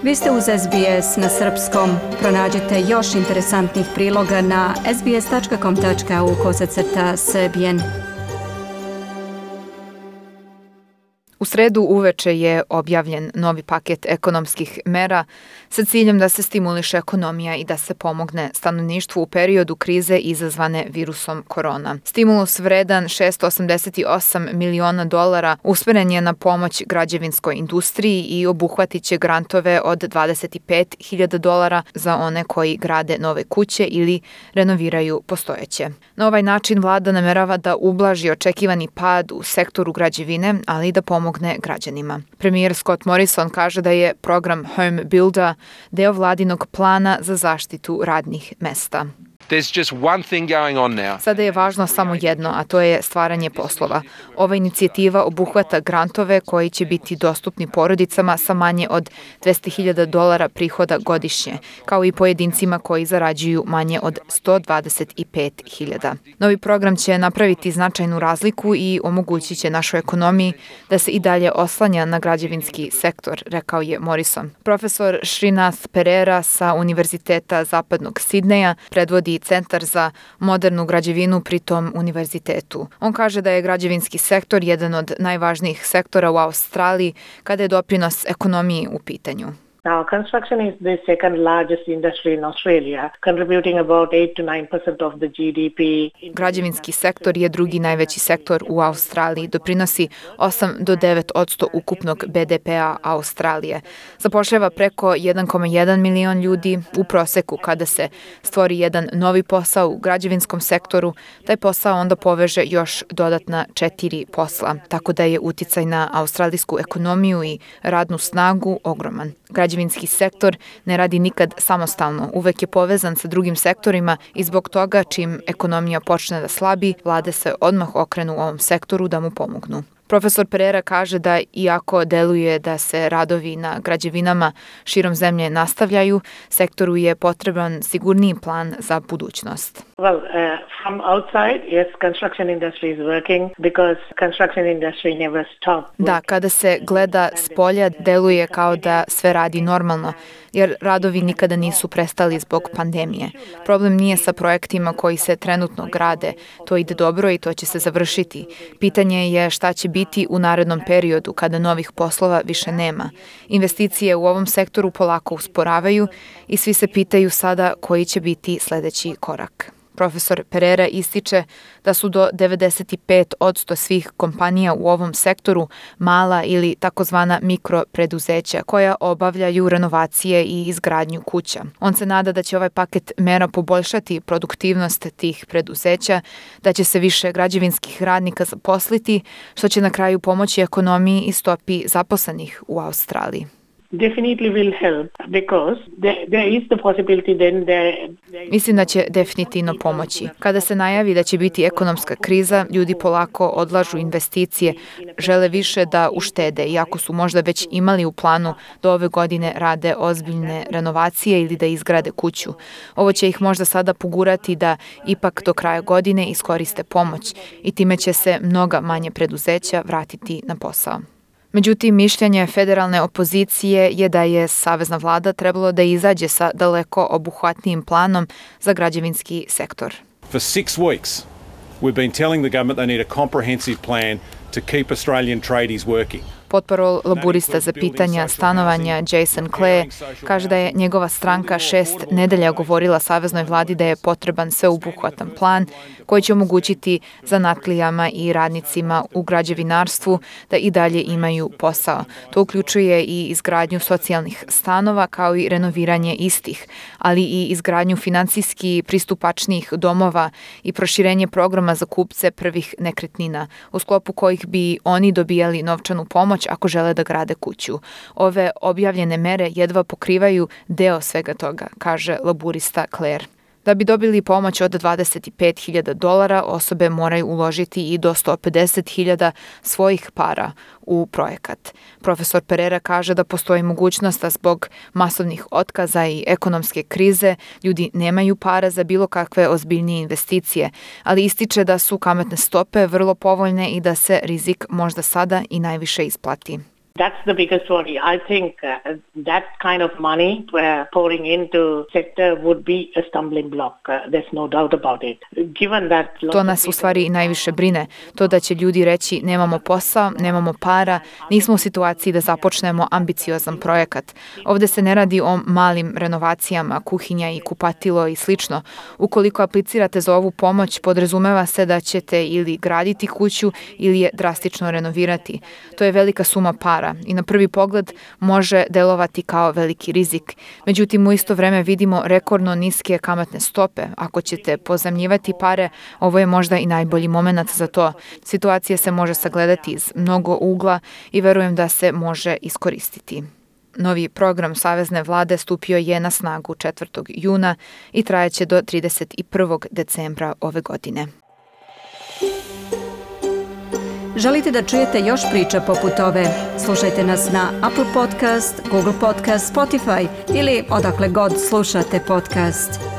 Vi ste uz SBS na srpskom. Pronađite još interesantnih priloga na sbs.com.au/srbijen. U sredu uveče je objavljen novi paket ekonomskih mera sa ciljem da se stimuliše ekonomija i da se pomogne stanovništvu u periodu krize izazvane virusom korona. Stimulus vredan $688 miliona usmeren je na pomoć građevinskoj industriji i obuhvatit će grantove od $25.000 za one koji grade nove kuće ili renoviraju postojeće. Na ovaj način vlada namerava da ublaži očekivani pad u sektoru građevine, ali i da pomogne građanima. Premijer Scott Morrison kaže da je program Home Builder deo vladinog plana za zaštitu radnih mesta. Sada je važno samo jedno, a to je stvaranje poslova. Ova inicijativa obuhvata grantove koji će biti dostupni porodicama sa manje od $200.000 prihoda godišnje, kao i pojedincima koji zarađuju manje od $125.000. Novi program će napraviti značajnu razliku i omogućit će našoj ekonomiji da se i dalje oslanja na građevinski sektor, rekao je Morrison. Profesor Srinath Perera sa Univerziteta Zapadnog Sidneja predvodi Centar za modernu građevinu pri tom univerzitetu. On kaže da je građevinski sektor jedan od najvažnijih sektora u Australiji kada je doprinos ekonomiji u pitanju. Now, construction is the second largest industry in Australia, contributing about 8 to 9% of the GDP. Građevinski sektor je drugi najveći sektor u Australiji, doprinosi 8 do 9% ukupnog BDP-a Australije. Zapošljava preko 1,1 milion ljudi u proseku. Kada se stvori jedan novi posao u građevinskom sektoru, taj posao onda poveže još dodatna 4 posla, tako da je uticaj na australijsku ekonomiju i radnu snagu ogroman. Građevinski sektor ne radi nikad samostalno, uvek je povezan sa drugim sektorima i zbog toga čim ekonomija počne da slabi, vlade se odmah okrenu u ovom sektoru da mu pomognu. Profesor Perera kaže da iako deluje da se radovi na građevinama širom zemlje nastavljaju, sektoru je potreban sigurniji plan za budućnost. From outside, yes, construction industry is working because construction industry never stops. Da, kada se gleda s polja, deluje kao da sve radi normalno, jer radovi nikada nisu prestali zbog pandemije. Problem nije sa projektima koji se trenutno grade. To ide dobro i to će se završiti. Pitanje je šta će biti u narednom periodu kada novih poslova više nema. Investicije u ovom sektoru polako usporavaju i svi se pitaju sada koji će biti sledeći korak. Profesor Perera ističe da su do 95% svih kompanija u ovom sektoru mala ili takozvana mikropreduzeća koja obavljaju renovacije i izgradnju kuća. On se nada da će ovaj paket mera poboljšati produktivnost tih preduzeća, da će se više građevinskih radnika zaposliti, što će na kraju pomoći ekonomiji i stopi zaposlenih u Australiji. Definitely will help because there is the possibility then Mislim da će definitivno pomoći. Kada se najavi da će biti ekonomska kriza, ljudi polako odlažu investicije, žele više da uštede, iako su možda već imali u planu da ove godine rade ozbiljne renovacije ili da izgrade kuću. Ovo će ih možda sada pogurati da ipak do kraja godine iskoriste pomoć i time će se mnoga manje preduzeća vratiti na posao. Međutim, mišljenje federalne opozicije je da je savezna vlada trebalo da izađe sa daleko obuhvatnijim planom za građevinski sektor. For 6 weeks, we've been telling the government they need a comprehensive plan to keep Australian tradies working. Potparol laburista za pitanja stanovanja Jason Clay kaže da je njegova stranka 6 nedelja govorila saveznoj vladi da je potreban sveobuhvatan plan koji će omogućiti zanatlijama i radnicima u građevinarstvu da i dalje imaju posao. To uključuje i izgradnju socijalnih stanova kao i renoviranje istih, ali i izgradnju finansijski pristupačnijih domova i proširenje programa za kupce prvih nekretnina, u sklopu kojih bi oni dobijali novčanu pomoć ako žele da grade kuću. Ove objavljene mere jedva pokrivaju deo svega toga, kaže laburista Claire. Da bi dobili pomoć od $25.000, osobe moraju uložiti i do $150.000 svojih para u projekat. Profesor Perera kaže da postoji mogućnost da zbog masovnih otkaza i ekonomske krize ljudi nemaju para za bilo kakve ozbiljnije investicije, ali ističe da su kamatne stope vrlo povoljne i da se rizik možda sada i najviše isplati. That's the biggest worry. I think that kind of money pouring into sector would be a stumbling block. There's no doubt about it. Given that To nas u stvari i najviše brine. To da će ljudi reći nemamo posao, nemamo para, nismo u situaciji da započnemo ambiciozan projekat. Ovdje se ne radi o malim renovacijama, kuhinja i kupatilo i slično. Ukoliko aplicirate za ovu pomoć, podrazumeva se da ćete ili graditi kuću ili je drastično renovirati. To je velika suma para i na prvi pogled može delovati kao veliki rizik. Međutim, u isto vreme vidimo rekordno niske kamatne stope. Ako ćete pozajmljivati pare, ovo je možda i najbolji moment za to. Situacija se može sagledati iz mnogo ugla i verujem da se može iskoristiti. Novi program Savezne vlade stupio je na snagu 4. juna i trajeće do 31. decembra ove godine. Želite da čujete još priča poput ove? Slušajte nas na Apple Podcast, Google Podcast, Spotify ili odakle god slušate podcast.